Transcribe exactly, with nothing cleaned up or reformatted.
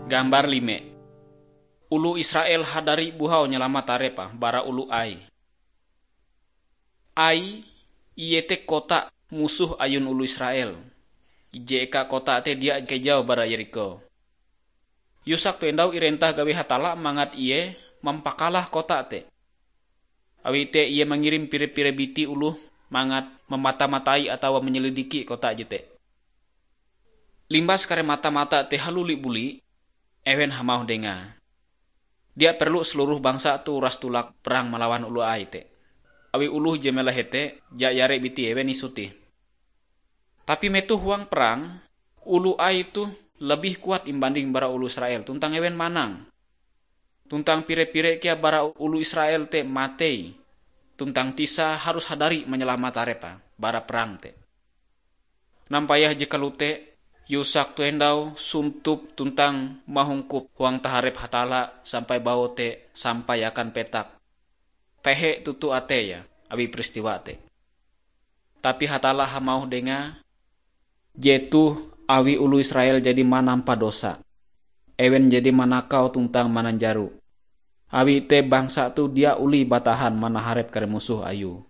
Gambar lime. Oloh Israel hadari buhau nyalamat tarepa bara oloh Ai. Ai, iete kota musoh ayun oloh Israel. Ije eka kota te dia kejau bara Yerikho. Yusak tu endau irentah gawi Hatalla mangat ie mampakalah kota te. Awi te ie mangirim pire-pire biti oloh mangat mamata-matai atawa manyelidiki kota jete. Limbas kare mata-mata te haluli buli, ewen hamauh dengae, "Dia perlu seluruh bangsa tu uras tulak perang malawan oloh Ai te. Awi oloh je mela hete, jayare biti ewen isutih." Tapi metoh huang perang, oloh Ai tu lebih kuat imbanding bara oloh Israel, tuntang ewen manang. Tuntang pire-pire kea bara oloh Israel te matei, tuntang Tisa harus hadari manyalamat tarepa bara perang te. Nampayah je kalote, Yusak tu endau suntup tuntang mahungkup huang taharep Hatalla sampai baote sampai akan petak. Pehe toto ateie awi peristiwa te. Tapi Hatalla hamauh dengae, "Jetoh awi oloh Israel jadi manampa dosa. Ewen jadi manakau tuntang mananjaro. Awi te bangsa tu dia olih batahan manaharep kare musoh ayue."